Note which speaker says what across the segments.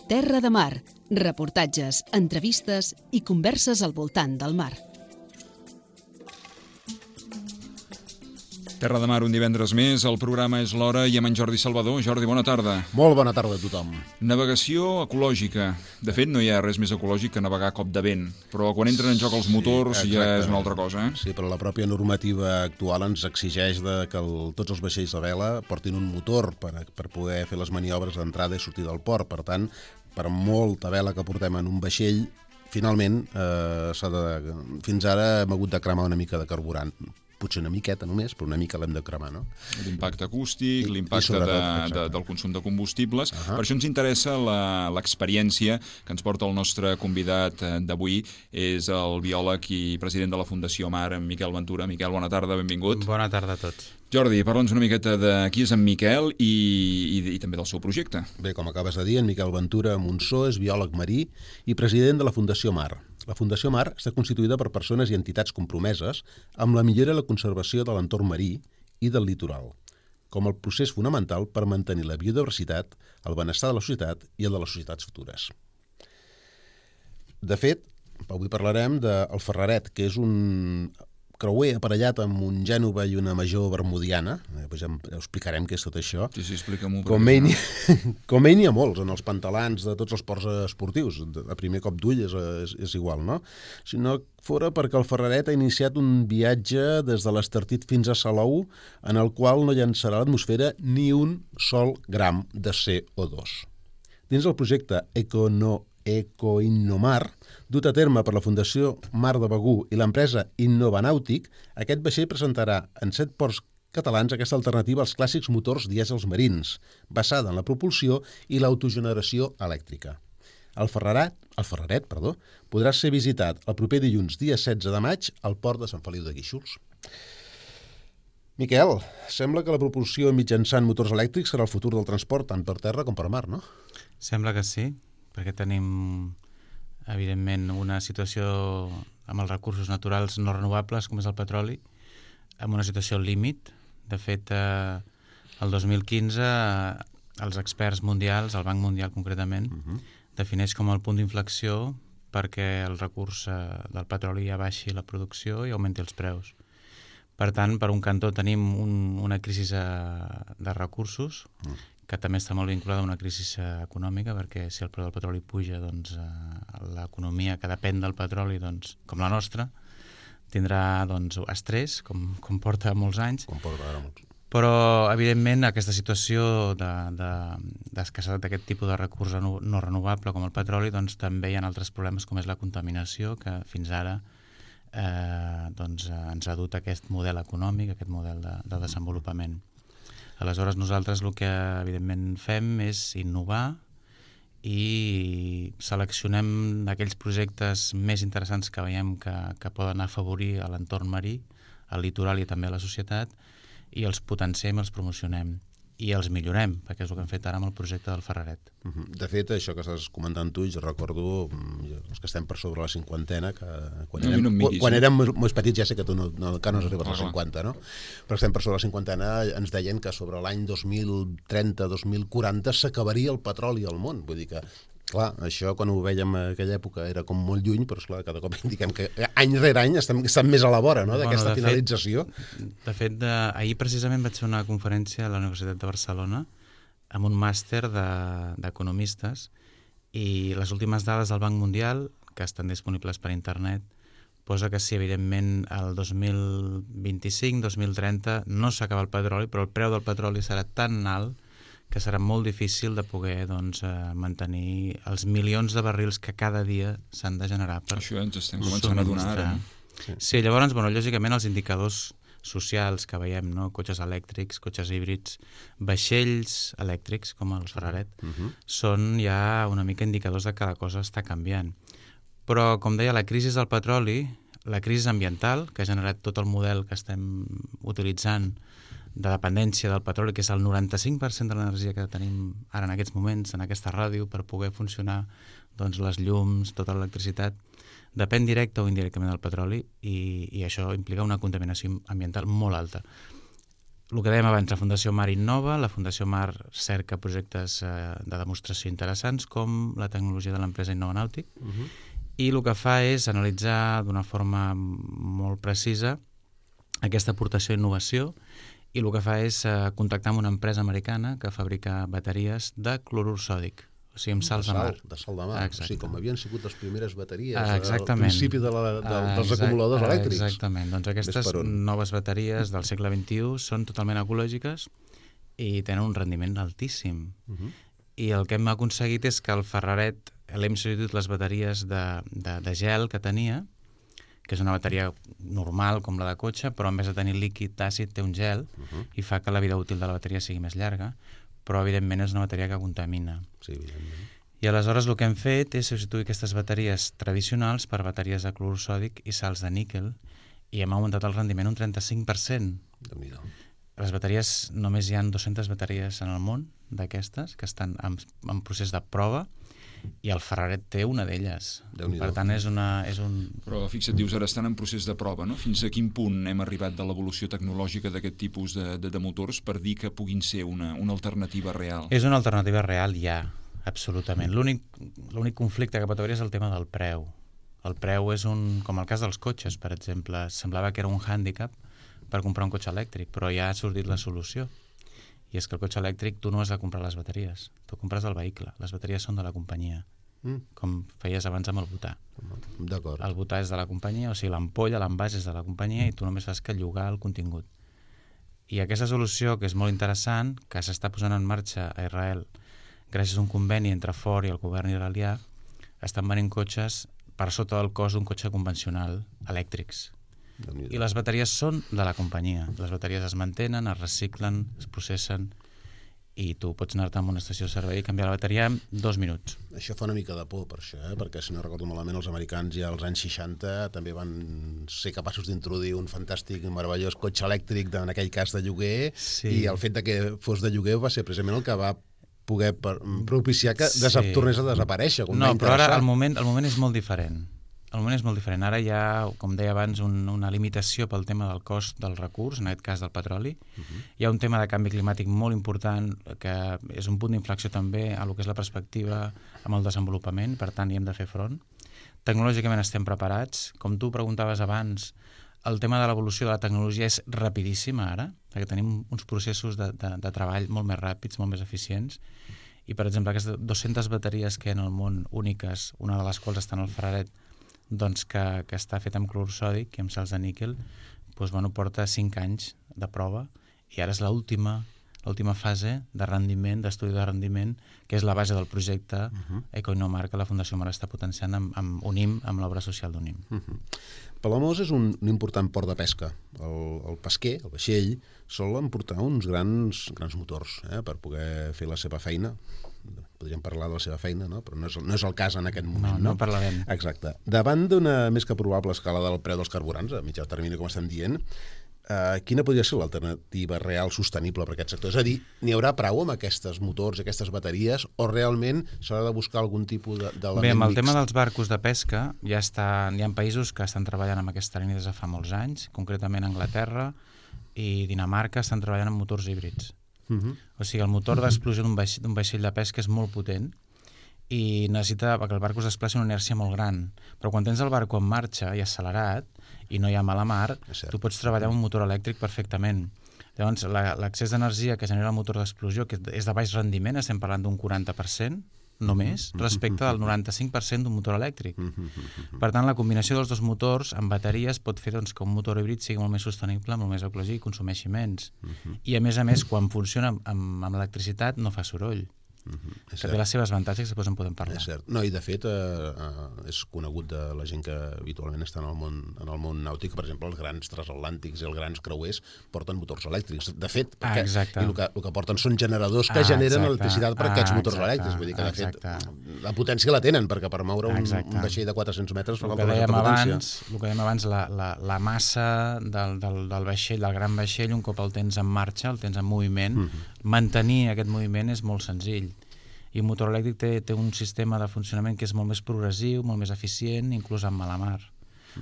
Speaker 1: Terra de Mar, reportatges, entrevistes i converses al voltant del mar.
Speaker 2: Terra de Mar, un divendres més, el programa és l'Hora i amb en Jordi Salvador. Jordi, bona tarda.
Speaker 3: Molt bona tarda a tothom.
Speaker 2: Navegació ecològica. De fet, no hi ha res més ecològic que navegar a cop de vent, però quan entren en joc els motors ja és una altra cosa.
Speaker 3: Sí, però la pròpia normativa actual ens exigeix que tots els vaixells de vela portin un motor per poder fer les maniobres d'entrada i sortida del port. Per tant, per molta vela que portem en un vaixell, finalment, fins ara hem hagut de cremar una mica de carburant. Potser una miqueta només, però una mica l'hem de cremar, no?
Speaker 2: L'impacte acústic, l'impacte del consum de combustibles. Per això ens interessa l'experiència que ens porta el nostre convidat d'avui. És el biòleg i president de la Fundació Mar, en Miquel Ventura. Miquel, bona tarda, benvingut.
Speaker 4: Bona tarda a tots.
Speaker 2: Jordi, parla'ns una miqueta de qui és en Miquel i també del seu projecte.
Speaker 3: Bé, com acabes de dir, en Miquel Ventura Monsó és biòleg marí i president de la Fundació Mar. La Fundació Mar està constituïda per persones i entitats compromeses amb la millora i la conservació de l'entorn marí i del litoral, com el procés fonamental per mantenir la biodiversitat, el benestar de la societat i el de les societats futures. De fet, avui parlarem del Ferraret, que és un creuer aparellat amb un Gènova i una Major Bermudiana. Després ja explicarem què és tot això.
Speaker 2: Sí, explica-m'ho.
Speaker 3: Com ell n'hi ha molts, en els pantalans de tots els ports esportius. A primer cop d'ull és igual, no? Si no fora perquè el Ferraret ha iniciat un viatge des de l'Estartit fins a Salou, en el qual no llançarà a l'atmosfera ni un sol gram de CO2. Dins del projecte Ecoinnomar, dut a terme per la Fundació Mar de Begur i l'empresa Innovanàutic, aquest vaixell presentarà en 7 ports catalans aquesta alternativa als clàssics motors dièsels marins, basada en la propulsió i l'autogeneració elèctrica. El Ferraret podrà ser visitat el proper dilluns, dia 16 de maig, al port de Sant Feliu de Guíxols. Miquel, sembla que la propulsió mitjançant motors elèctrics serà el futur del transport tant per terra com per mar, no?
Speaker 4: Sembla que sí, perquè tenim, evidentment, una situació amb els recursos naturals no renovables, com és el petroli, amb una situació límit. De fet, el 2015, els experts mundials, el Banc Mundial concretament, defineix com el punt d'inflexió perquè el recurs del petroli ja baixi la producció i augmenti els preus. Per tant, per un cantó tenim una crisi de recursos, que també està molt vinculada a una crisi econòmica, perquè si el preu del petroli puja, doncs l'economia que depèn del petroli, doncs, com la nostra, tindrà estrès, com porta molts anys. Però, evidentment, aquesta situació d'escassetat d'aquest tipus de recurs no renovable com el petroli, doncs també hi ha altres problemes com és la contaminació, que fins ara ens ha dut a aquest model econòmic, aquest model de desenvolupament. Aleshores, nosaltres el que, evidentment, fem és innovar i seleccionem aquells projectes més interessants que veiem que poden afavorir l'entorn marí, el litoral i també la societat, i els potenciem, els promocionem i els millorem, perquè és el que hem fet ara amb el projecte del Ferraret.
Speaker 3: De fet, això que estàs comentant tu, jo recordo els que estem per sobre la cinquantena, que quan érem més petits, ja sé que tu encara no has arribat a la 50, no? Però estem per sobre la cinquantena, ens deien que sobre l'any 2030-2040 s'acabaria el petroli al món. Vull dir que, clar, això quan ho vèiem en aquella època era com molt lluny, però esclar, cada cop indiquem que any rere any estem més a la vora, no?, d'aquesta finalització.
Speaker 4: De fet, ahir precisament vaig fer una conferència a la Universitat de Barcelona amb un màster d'economistes i les últimes dades del Banc Mundial, que estan disponibles per internet, posa que sí, evidentment, el 2025-2030 no s'acaba el petroli, però el preu del petroli serà tan alt que serà molt difícil de poder mantenir els milions de barrils que cada dia s'han de generar per
Speaker 2: això ens estem començant a donar ara.
Speaker 4: Sí, llavors, lògicament, els indicadors socials que veiem, no? Cotxes elèctrics, cotxes híbrids, vaixells elèctrics, com els Ferraret, són ja una mica indicadors de que la cosa està canviant. Però, com deia, la crisi del petroli, la crisi ambiental, que ha generat tot el model que estem utilitzant de dependència del petroli, que és el 95% de l'energia que tenim ara en aquests moments, en aquesta ràdio, per poder funcionar les llums, tota l'electricitat, depèn directe o indirectament del petroli i això implica una contaminació ambiental molt alta. el que dèiem abans, la Fundació Mar innova, la Fundació Mar cerca projectes de demostració interessants com la tecnologia de l'empresa Innova Nàutic, i el que fa és analitzar d'una forma molt precisa aquesta aportació d'innovació, i el que fa és contactar amb una empresa americana que fabrica bateries de clorur sòdic, o sigui, amb salts de mar.
Speaker 3: De sal de mar.
Speaker 4: Exacte.
Speaker 3: O sigui, com havien sigut les primeres bateries
Speaker 4: Exactament.
Speaker 3: al principi dels acumuladors elèctrics.
Speaker 4: Exactament. Doncs aquestes noves bateries del segle XXI són totalment ecològiques i tenen un rendiment altíssim. I el que hem aconseguit és que el Ferraret l'hem substituït les bateries de gel que tenia, que és una bateria normal com la de cotxe, però en vez de tenir líquid àcid té un gel i fa que la vida útil de la bateria sigui més llarga, però evidentment és una bateria que contamina.
Speaker 3: Sí, evidentment.
Speaker 4: I aleshores el que hem fet és substituir aquestes bateries tradicionals per bateries de clorur sòdic i sals de níquel, i hem augmentat el rendiment un 35%.
Speaker 3: Déu-n'hi-do.
Speaker 4: Les bateries, només hi ha 200 bateries en el món d'aquestes que estan en procés de prova, i el Ferraret té una d'elles. Per tant, és un...
Speaker 2: Però fixa't, dius, ara estan en procés de prova, no? Fins a quin punt hem arribat de l'evolució tecnològica d'aquest tipus de motors per dir que puguin ser una alternativa real?
Speaker 4: És una alternativa real, ja, absolutament. L'únic conflicte que pot haver és el tema del preu. El preu és com el cas dels cotxes, per exemple. Semblava que era un hàndicap per comprar un cotxe elèctric, però ja ha sortit la solució. I és que el cotxe elèctric tu no has de comprar les bateries, tu compres el vehicle, les bateries són de la companyia, com feies abans amb el butà.
Speaker 3: D'acord.
Speaker 4: El butà és de la companyia, o sigui, l'ampolla, l'envàs és de la companyia i tu només fas que llogar el contingut. I aquesta solució, que és molt interessant, que s'està posant en marxa a Israel gràcies a un conveni entre Ford i el govern israelià, estan venent cotxes per sota del cost d'un cotxe convencional elèctrics. I les bateries són de la companyia. Les bateries es mantenen, es reciclen, es processen, i tu pots anar-te a una estació de servei i canviar la bateria en 2 minuts.
Speaker 3: Això fa una mica de por, per això, perquè si no recordo malament, els americans ja als anys 60 també van ser capaços d'introduir un fantàstic i meravellós cotxe elèctric, en aquell cas de lloguer, i el fet de que fos de lloguer va ser precisament el que va poder propiciar que tornés a desaparèixer.
Speaker 4: No, però ara el moment és molt diferent. El moment és molt diferent. Ara hi ha, com deia abans, una limitació pel tema del cost del recurs, en aquest cas del petroli. Hi ha un tema de canvi climàtic molt important, que és un punt d'inflexió també a lo que és la perspectiva amb el desenvolupament, per tant hi hem de fer front. Tecnològicament estem preparats. Com tu preguntaves abans, el tema de l'evolució de la tecnologia és rapidíssima ara, perquè tenim uns processos de treball molt més ràpids, molt més eficients, i per exemple aquestes 200 bateries que hi ha en el món úniques, una de les quals està en el Ferraret, doncs que està fet amb clorur sòdic i amb sals de níquel, doncs, porta 5 anys de prova, i ara és l'última fase de rendiment, d'estudi de rendiment, que és la base del projecte Ecoinnomar, que la Fundació Mar està potenciant amb UNIM, amb l'obra social d'UNIM.
Speaker 3: Palamós és un important port de pesca. El pesquer, el vaixell, sol emportar uns grans motors per poder fer la seva feina. Podríem parlar de la seva feina, no? Però no és el cas en aquest moment.
Speaker 4: No parlarem.
Speaker 3: Exacte. Davant d'una més que probable escalada del preu dels carburants, a mitjà termini, com estem dient, quina podria ser l'alternativa real sostenible per aquest sector? És a dir, n'hi haurà prou amb aquests motors, aquestes bateries, o realment s'ha de buscar algun tipus d'element mixt?
Speaker 4: Bé, amb el tema dels barcos de pesca, hi ha països que estan treballant amb aquesta línia des de fa molts anys, concretament Anglaterra i Dinamarca estan treballant amb motors híbrids. O sigui, el motor d'explosió d'un vaixell de pesca és molt potent i necessita que el barco es desplaci una inèrcia molt gran. Però quan tens el barco en marxa i accelerat i no hi ha mala mar, tu pots treballar amb un motor elèctric perfectament. Llavors, l'accés d'energia que genera el motor d'explosió, que és de baix rendiment, estem parlant d'un 40%, només, respecte del 95% d'un motor elèctric. Per tant, la combinació dels dos motors amb bateries pot fer que un motor híbrid sigui molt més sostenible, molt més ecològic i consumeixi menys. I a més, quan funciona amb electricitat no fa soroll. Que té les seves avantatges, després en podem parlar.
Speaker 3: És cert. No, i de fet és conegut de la gent que habitualment està en el món nàutic, per exemple, els grans transatlàntics i els grans creuers porten motors elèctrics. De fet, el que porten són generadors que generen electricitat per aquests motors elèctrics. Vull dir que, de fet, la potència la tenen, perquè per moure un vaixell de 400 metres fa molta potència.
Speaker 4: El que dèiem abans, la massa del vaixell, del gran vaixell, un cop el tens en marxa, el tens en moviment, mantenir aquest moviment és molt senzill. I un motor elèctric té un sistema de funcionament que és molt més progressiu, molt més eficient, inclús amb mala mar.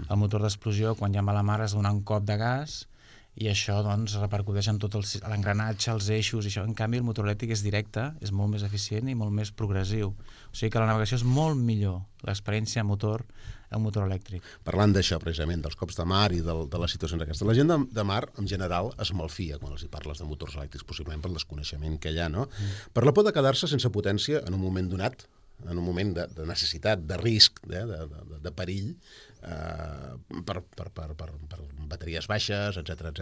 Speaker 4: El motor d'explosió, quan hi ha mala mar, has de donar un cop de gas i això doncs repercuteix en tot l'engranatge, els eixos, i això. En canvi el motor elèctric és directe, és molt més eficient i molt més progressiu. O sigui que la navegació és molt millor, l'experiència en motor elèctric.
Speaker 3: Parlant d'això, precisament, dels cops de mar i de les situacions aquestes, la gent de mar, en general, es malfia quan els hi parles de motors elèctrics, possiblement per el desconeixement que hi ha, no? Per la por de quedar-se sense potència en un moment donat, en un moment de necessitat, de risc, de perill, per bateries baixes, etc.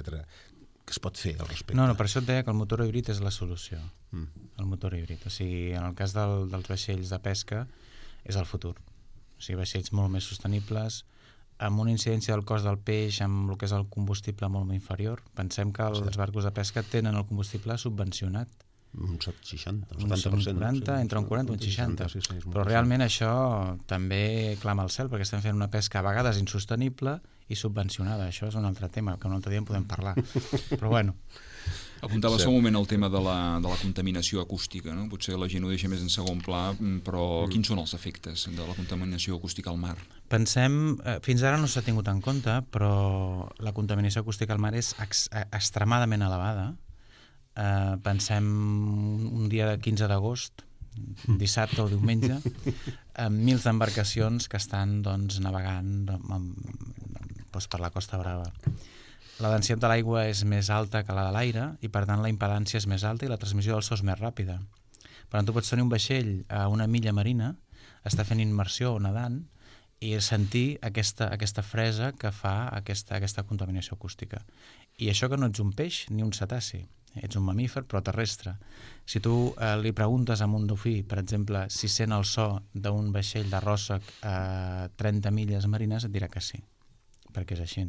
Speaker 3: Què es pot fer al respecte?
Speaker 4: No, per això et deia que el motor híbrid és la solució. El motor híbrid. O sigui, en el cas dels vaixells de pesca, és el futur. O sigui, vaixells molt més sostenibles, amb una incidència del cost del peix, amb el que és el combustible molt inferior. Pensem que els barcos de pesca tenen el combustible subvencionat.
Speaker 3: Un 60, un
Speaker 4: 70%. 40, entre un 40 i un 60. Però realment això també clama al cel, perquè estem fent una pesca a vegades insostenible i subvencionada. Això és un altre tema, que un altre dia en podem parlar. Però bueno.
Speaker 2: Apuntaves un moment el tema de la contaminació acústica, no? Potser la gent ho deixa més en segon pla, però quins són els efectes de la contaminació acústica al mar?
Speaker 4: Pensem, fins ara no s'ha tingut en compte, però la contaminació acústica al mar és extremadament elevada. Pensem un dia de 15 d'agost, dissabte o diumenge, amb mils d'embarcacions que estan navegant per la Costa Brava. La densitat de l'aigua és més alta que la de l'aire i per tant la impedància és més alta i la transmissió del so és més ràpida. Per tant, tu pots tenir un vaixell a una milla marina, estar fent immersió o nedant i sentir aquesta fresa que fa aquesta contaminació acústica. I això que no ets un peix ni un cetaci, ets un mamífer però terrestre. Si tu li preguntes a un dofí, per exemple, si sent el so d'un vaixell de ròssec a 30 milles marines, et dirà que sí, perquè és així.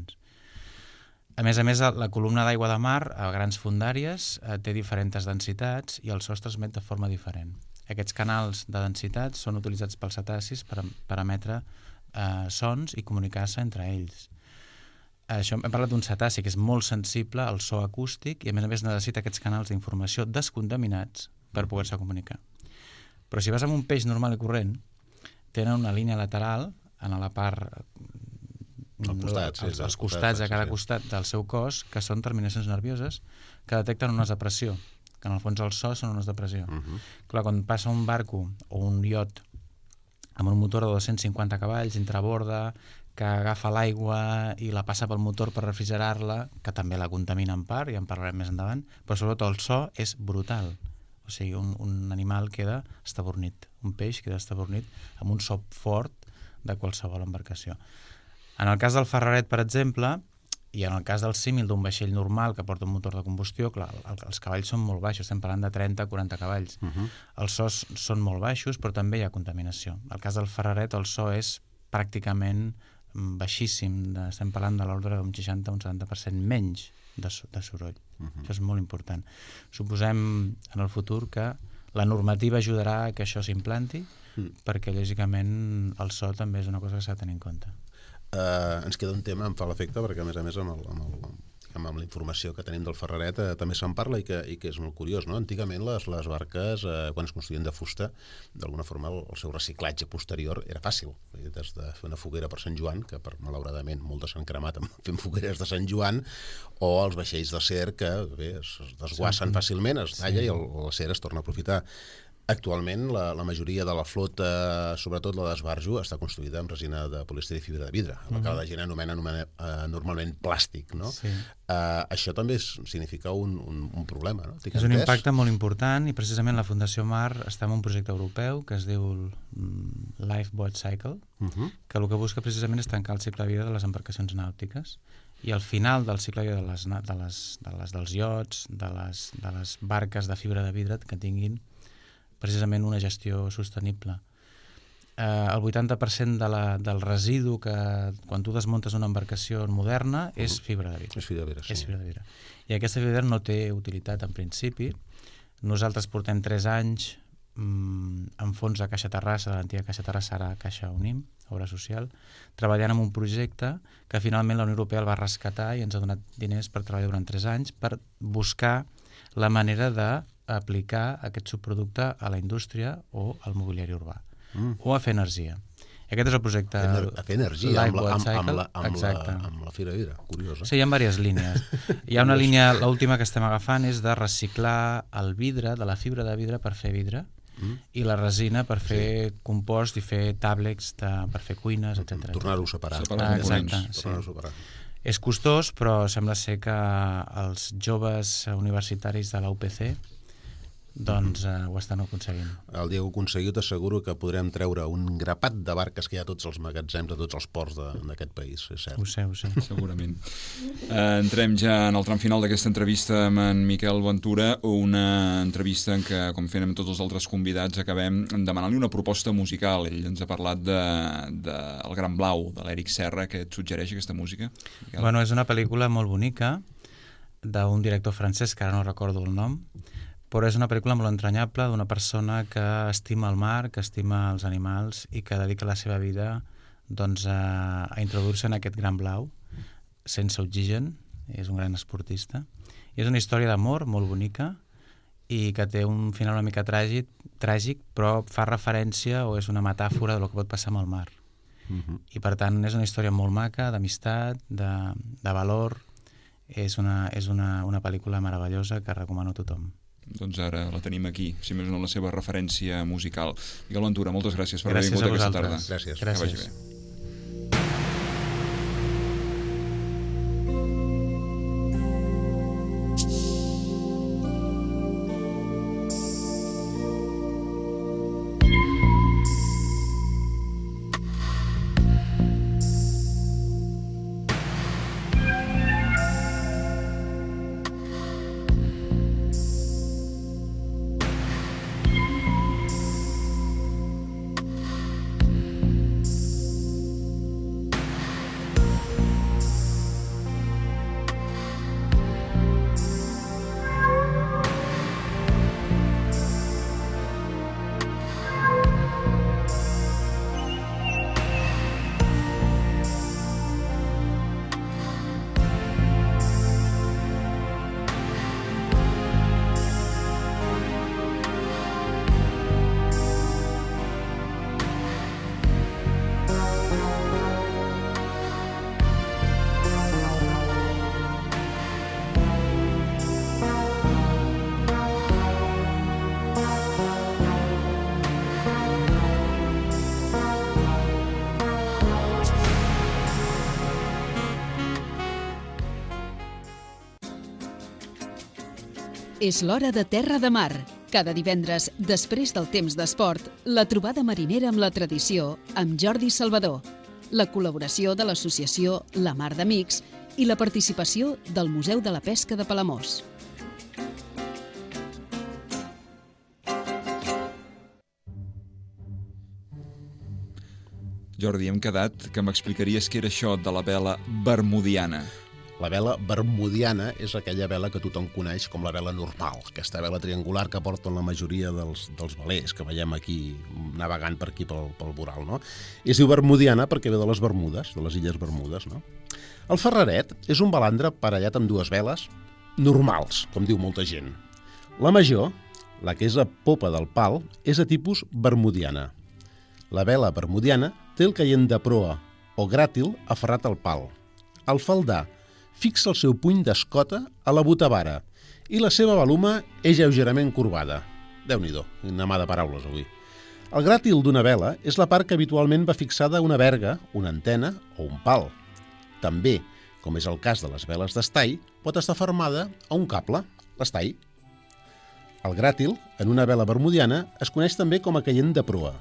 Speaker 4: A més, la columna d'aigua de mar a grans fondàries té diferents densitats i el so es transmet de forma diferent. Aquests canals de densitat són utilitzats pels cetacis per emetre sons i comunicar-se entre ells. Això, hem parlat d'un cetaci que és molt sensible al so acústic i a més necessita aquests canals d'informació descontaminats per poder-se comunicar. Però si vas amb un peix normal i corrent, tenen una línia lateral en la part als costats de cada costat del seu cos, que són terminacions nervioses que detecten ones de pressió, que en el fons el so són ones de pressió. Clar, quan passa un barco o un iot amb un motor de 250 cavalls intraborda, que agafa l'aigua i la passa pel motor per refrigerar-la, que també la contamina en part, i en parlarem més endavant, però sobretot el so és brutal. O sigui, un animal queda estabornit, un peix queda estabornit amb un so fort de qualsevol embarcació. En el cas del Ferraret, per exemple, i en el cas del símil d'un vaixell normal que porta un motor de combustió, clar, els cavalls són molt baixos, estem parlant de 30-40 cavalls. Els sos són molt baixos, però també hi ha contaminació. En el cas del Ferraret, el so és pràcticament baixíssim, estem parlant de l'ordre d'un 60 o un 70% menys de soroll. Això és molt important. Suposem en el futur que la normativa ajudarà a que això s'implanti, perquè lògicament el so també és una cosa que s'ha de tenir en compte.
Speaker 3: Ens queda un tema, em fa l'efecte, perquè a més amb la informació que tenim del Ferraret també se'n parla i que és molt curiós, no? Antigament les barques, quan es construïen de fusta, d'alguna forma el seu reciclatge posterior era fàcil. Des de fer una foguera per Sant Joan, que malauradament moltes s'han cremat fent fogueres de Sant Joan, o els vaixells d'acer que es desguassen fàcilment, es talla i l'acer es torna a aprofitar. Actualment, la majoria de la flota, sobretot la d'esbarjo, està construïda amb resina de polièster i fibra de vidre, el que la gent anomena normalment plàstic, no? Sí. Això també significa un problema, no?
Speaker 4: És un impacte molt important i precisament la Fundació Mar està en un projecte europeu que es diu Lifeboat Cycle, que el que busca precisament és tancar el cicle de vida de les embarcacions nàutiques i al final del cicle de vida dels iots, de les barques de fibra de vidre que tinguin precisament una gestió sostenible. El 80% del residu que quan tu desmuntes una embarcació moderna és fibra de vidre.
Speaker 3: És fibra de vidre, sí.
Speaker 4: És fibra de vidre. I aquesta fibra de vidre no té utilitat en principi. Nosaltres portem 3 anys en fons de Caixa Terrassa, de l'antiga Caixa Terrassa, ara Caixa Unim, obra social, treballant en un projecte que finalment la Unió Europea el va rescatar i ens ha donat diners per treballar durant 3 anys per buscar la manera d'aplicar aquest subproducte a la indústria o al mobiliari urbà o a fer energia. Aquest és el projecte
Speaker 3: A fer energia amb
Speaker 4: Exacte.
Speaker 3: la Fira Vidre, curiós.
Speaker 4: Sí, hi ha diverses línies. Hi ha una línia, l'última que estem agafant és de reciclar el vidre, de la fibra de vidre per fer vidre, i la resina per fer compost i fer tàblecs per fer cuines, etc.
Speaker 3: Tornar-ho a separar.
Speaker 4: Exacte,
Speaker 3: sí.
Speaker 4: És costós, però sembla ser que els joves universitaris de la UPC doncs ho estan aconseguint.
Speaker 3: El dia que ho aconseguiu t'asseguro que podrem treure un grapat de barques que hi ha a tots els magatzems, a tots els ports d'aquest país, és cert.
Speaker 4: Ho sé.
Speaker 2: Segurament. Entrem ja en el tram final d'aquesta entrevista amb en Miquel Ventura, una entrevista en què, com fem amb tots els altres convidats, acabem demanant-li una proposta musical. Ell ens ha parlat de El Gran Blau, de l'Eric Serra, que et suggereix aquesta música. Miquel?
Speaker 4: Bueno, és una pel·lícula molt bonica d'un director francès, que ara no recordo el nom, però és una pel·lícula molt entranyable d'una persona que estima el mar, que estima els animals i que dedica la seva vida doncs, a introduir-se en aquest gran blau sense oxigen. És un gran esportista. I és una història d'amor molt bonica i que té un final una mica tràgic, però fa referència o és una metàfora del que pot passar amb el mar. I per tant és una història molt maca, d'amistat, de valor. És una pel·lícula meravellosa que recomano a tothom.
Speaker 2: Doncs ara la tenim aquí, si més no la seva referència musical. Miquel Ventura, moltes gràcies per haver vingut aquesta tarda.
Speaker 3: Gràcies.
Speaker 2: Que vagi bé.
Speaker 1: És l'hora de Terra de Mar. Cada divendres, després del temps d'esport, la trobada marinera amb la tradició amb Jordi Salvador, la col·laboració de l'associació La Mar d'Amics i la participació del Museu de la Pesca de Palamós.
Speaker 2: Jordi, hem quedat que m'explicaries què era això de la vela bermudiana.
Speaker 3: La vela bermudiana és aquella vela que tothom coneix com la vela normal, aquesta vela triangular que porten la majoria dels velers que veiem aquí navegant per aquí pel voral, no? I es diu bermudiana perquè ve de les Bermudes, de les Illes Bermudes, no? El ferraret és un balandre aparellat amb dues veles normals, com diu molta gent. La major, la que és a popa del pal, és de tipus bermudiana. La vela bermudiana té el caient de proa o gràtil aferrat al pal. El faldar fixa el seu puny d'escota a la botavara i la seva baluma és lleugerament corbada. Déu-n'hi-do, una mà de paraules avui. El gràtil d'una vela és la part que habitualment va fixada a una verga, una antena o un pal. També, com és el cas de les veles d'estall, pot estar fermada a un cable, l'estall. El gràtil, en una vela bermudiana, es coneix també com a caient de proa.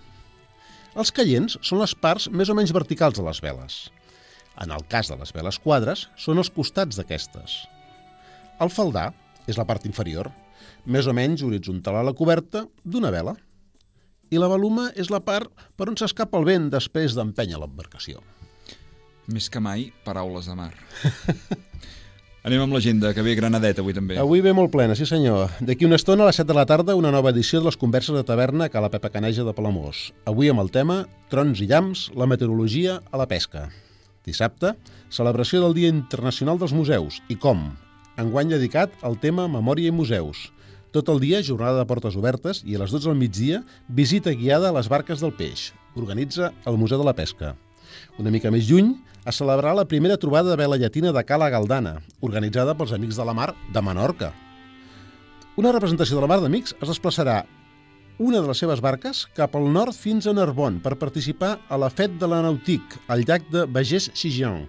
Speaker 3: Els caients són les parts més o menys verticals de les veles. En el cas de les veles quadres, són els costats d'aquestes. El faldar és la part inferior, més o menys horitzontal a la coberta d'una vela. I la baluma és la part per on s'escapa el vent després d'empènyer l'embarcació.
Speaker 2: Més que mai, paraules de mar. Anem amb l'agenda, que ve Granadet avui també.
Speaker 3: Avui ve molt plena, sí senyor. D'aquí una estona a les 7 de la tarda una nova edició de les converses de taverna a la Pepa Caneja de Palamós. Avui amb el tema Trons i llamps, la meteorologia a la pesca. Dissabte, celebració del Dia Internacional dels Museus i com? Enguany dedicat al tema Memòria i Museus. Tot el dia, jornada de portes obertes i a les 12 del migdia, visita guiada a les barques del peix. organitza el Museu de la Pesca. Una mica més lluny, es celebrarà la primera trobada de vela llatina de Cala Galdana, organitzada pels Amics de la Mar de Menorca. Una representació de la Mar d'Amics es desplaçarà una de les seves barques cap al nord fins a Narbonne per participar a la Fête de la Nautique, al llac de Bagés-Sigean.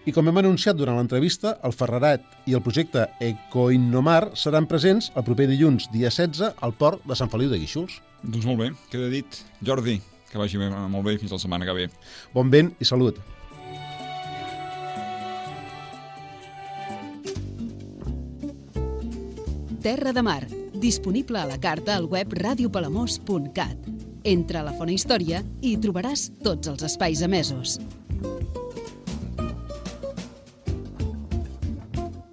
Speaker 3: I com hem anunciat durant l'entrevista, el Ferraret i el projecte Ecoinnomar seran presents el proper dilluns, dia 16, al port de Sant Feliu de Guíxols.
Speaker 2: Doncs molt bé, queda dit. Jordi, que vagi molt bé fins la setmana que ve.
Speaker 3: Bon vent i salut.
Speaker 1: Terra de Mar, disponible a la carta al web radiopalamós.cat. Entra a la Fona Història i hi trobaràs tots els espais emesos.